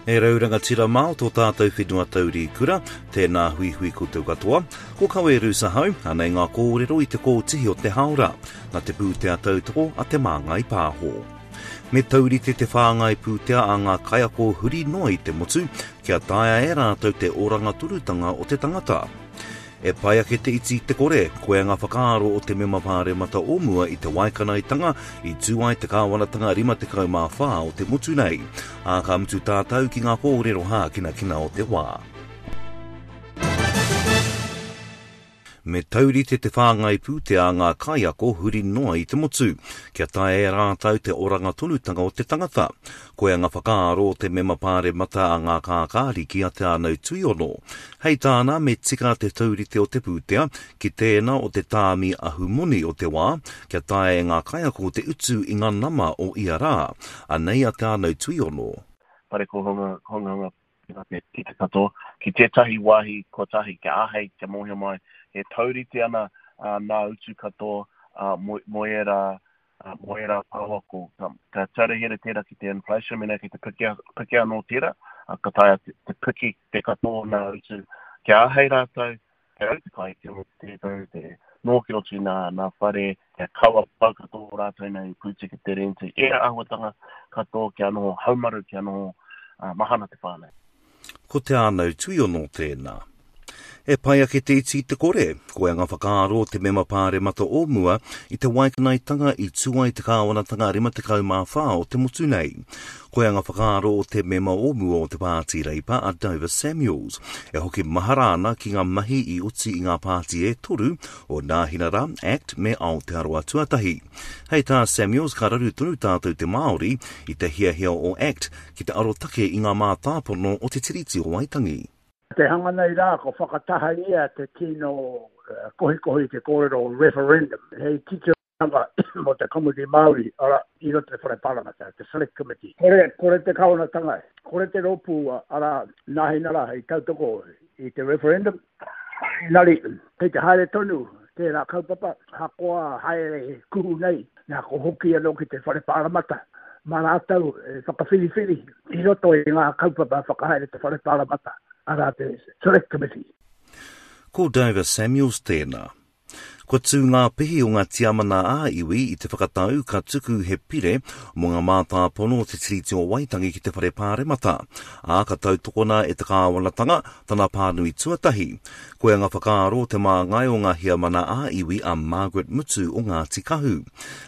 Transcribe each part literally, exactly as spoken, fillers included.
E rau rangatira mā o tō tātou whenua taurikura, tēnā huihui koutou katoa. Ko Kawe Rusahau, anei ngā kōrero i te kōtihi o te haora, nā te pūtea tautoko a Te Māngai Pāho. Me taurite te whāngai pūtea a ngā kaiako huri noa i te motu, kia taea e rātou te oranga tonutanga o te tangata. E pai ake te iti i te kore, koia ngā whakaaro o te mema pāremata o mua i te waikanaetanga i tū ai te kāwanatanga rima tekau mā whā o te motu nei. Ā, ka mutu tātou ki ngā kōrero hākinakina o te wā. Me taurite te whāngai pūtea a ngā kaiako huri noa i te motu, kia taea e rātou te oranga tonutanga o te tangata. Koia ngā whakaaro o te mema pāremata a ngā kākāriki a Te Ānau Tuiono. Hei tāna, me tika te taurite o te pūtea ki tēnā o te tāmi ahumoni o te wā, kia taea e ngā kaiako te utu i ngā nama o ia rā. Anei a Te Ānau Tuiono. Whare kōhanga, honganga ki te katoa, ki tētahi wāhi kotahi, kia āhei, kia mōhio mai, e taurite ana uh, nā utu katoa uh, mo, mo ērā, uh, mo ērā pouako. Ka, ka taurahere tērā ki te inflation, mena ki te piki, piki anō tērā, uh, ka taea te, te piki te katoa nā utu. Kia āhei rātou, te rau te kai, te te tau, te nō ki roto i nā, nā whare, kia kaua pau katoa rātou nei pūtike te renti. Ērā āhuatanga katoa kia noho haumaru, kia noho uh, mahana te whānau. Ko Te Ānau Tuiono tēnā. E pai ake te iti i te kore, koia ngā whakaaro o te mema pāremata o mua i te waikanaetanga i tū ai te kāwanatanga rima tekau mā whā o te motu nei. Koia ngā whakaaro o te mema o mua o te Pāti Reipa a Dover Samuels, e hoki mahara ana ki ngā mahi i oti i ngā pāti e toru o Nāhinara, Act me Aotearoa Tuatahi. Hei tā Samuels, ka raru tonu tātou te Māori i te hiahia o Act ki te arotake i ngā mātāpono o te Tiriti o Waitangi. Te hanga nei rā, ko whakatahangia te tino kohikohi te kōrero referendum. Hei titiranga mō te Komiti Māori, ara, i roto te Whare Pāremata, te Select Committee. Kore, kore te kāwanatanga, kore te rōpū, ara, Nāhinara hei tautoko i te referendum. Engari, kei te haere tonu tērā kaupapa, hakoa haere kuhu nei, nā ko hoki anō ki te Whare Pāremata. Mā rātou e whakawhiriwhiri i roto i ngā kaupapa whakahaere te Whare Pāremata, arā te Select Committee. Ko Dover Samuels tēnā. Kua tū ngā pihi o ngā tiamana ā-iwi i te whakatau ka tuku he pire mō ngā mātāpono o te Tiriti o Waitangi ki te Whare Pāremata, ā ka tautokona e te kāwanatanga tana pānui tuatahi. Koia ngā whakaaro o te māngai o ngā hiamana ā-iwi a Margaret Mutu o Ngāti Kahu.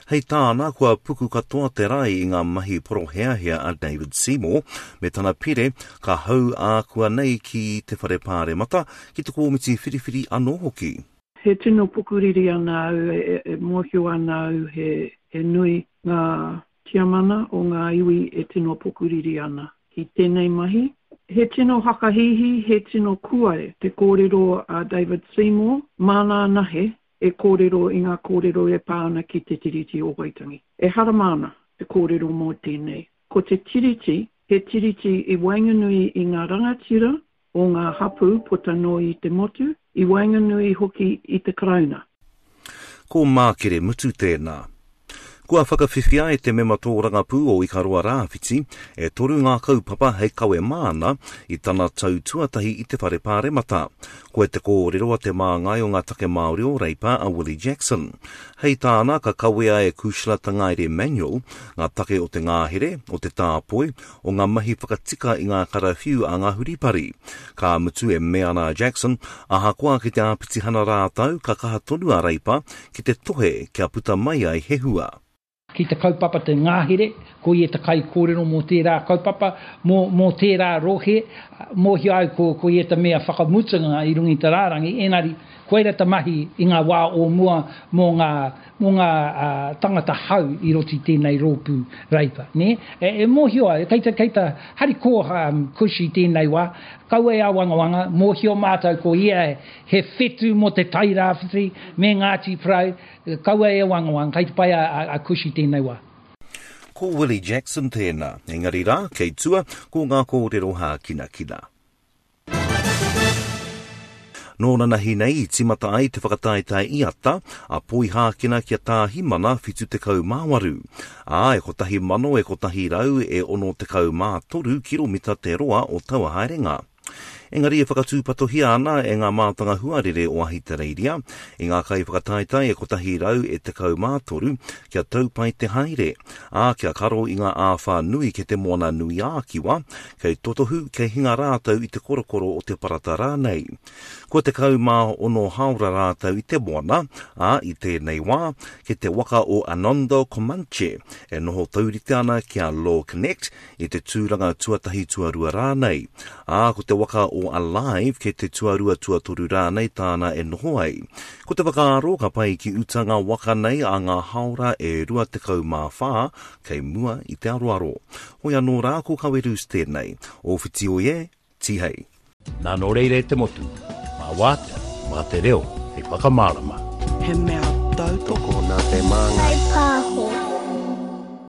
Hei tāna, kua puku katoa te rai i ngā mahi poroheahea a David Seymour me tana pire ka hau ākua nei ki te Whare Pāremata ki te kōmiti whiriwhiri anō hoki. He tino pukuriri ana au, e, e mōhio ana au he, he nui ngā tiamana o ngā iwi e tino pukuriri ana ki tēnei mahi. He tino hakahihi, he tino kuare te kōrero a David Seymour, māna anahe e kōrero i ngā kōrero e pā ana ki te Tiriti o Waitangi. E hara māna te kōrero mō tēnei. Ko te Tiriti, he tiriti i waenganui i ngā rangatira o ngā hapū puta noa i te motu, i waenganui hoki i te Karauna. Ko Mākere Mutu tēnā. Kua whakawhiwhia e te mema tōrangapū o Ikaroa Rāwhiti e toru ngā kaupapa hei kawe māna i tana tau tuatahi i te Whare Pāremata. Koe te kōrero a te māngai o ngā take Māori o Reipa a Willie Jackson. Hei tāna ka kawea e Kushla Tangaere Manuel ngā take o te ngāhere, o te tāpoi, o ngā mahi whakatika i ngā karawhiu a ngā huripari. Ka mutu e mea ana a Jackson, ahakoa ki te āpitihana rātau ka kaha tonu a Reipa ki te tohe kia puta mai ai he hua. Ki te kaupapa te ngāhere, ko ia te kai kōrero mō tērā kaupapa, mō, mō tērā rohe, mōhio au ko, ko ia te mea whakamutunga i runga i te rārangi, engari, koira te mahi i ngā wā o mua mō ngā, mō ngā uh, tangata hau i roto i tēnei rōpū Reipa. Ne? E, e mōhio ai, kei te, kei te hariko um, Kush i tēnei wā, kaua e awangawanga, mōhio mātou ko ia he whetu mō te Tairāwhiti me Ngāti Porou, kaua e awangawanga, kei te pai a, a, a Kush i tēnei wā. Ko Willie Jackson tēnā, engari rā, kei tua, ko ngā kōrero hākinakina. Nō nanahi nei i tīmata ai te whakataetae iata a Poihākena kia Tāhimana whitu tekau mā waru. Ā, e kotahi mano e kotahi rau e ono tekau mā toru kiromita te roa o taua haerenga. Engari e whakatūpatohia ana e ngā mātanga huarere o Ahitereiria i ngā kai whakataetae e kotahi rau e tekau mā toru kia taupai te haere, ā, kia karo i ngā āwhā nui ke te moana nui ā-Kiwa, kei totohu, kei hinga rātou i te korokoro o te parata rānei. Kua tekau mā ono haora rātou i te moana, ā, i tēnei wā, ke te waka o Anondo Comanche e noho taurite ana ki a Law Connect i te tūranga tuatahi tuarua rānei. Ā, ko te waka o Alive ke te tuarua tuatoru rānei tāna e noho ai. Ko te whakaaro ka pai ki uta ngā waka nei a ngā haora e rua tekau mā whā kei mua i te aroaro. Hoi anō rā ko Kawerus tēnei. O whiti oi e, tihei. Nā nō reira e te motu, mā wātea, mā te reo, hei whakamārama. He mea tautoko nā te māngai.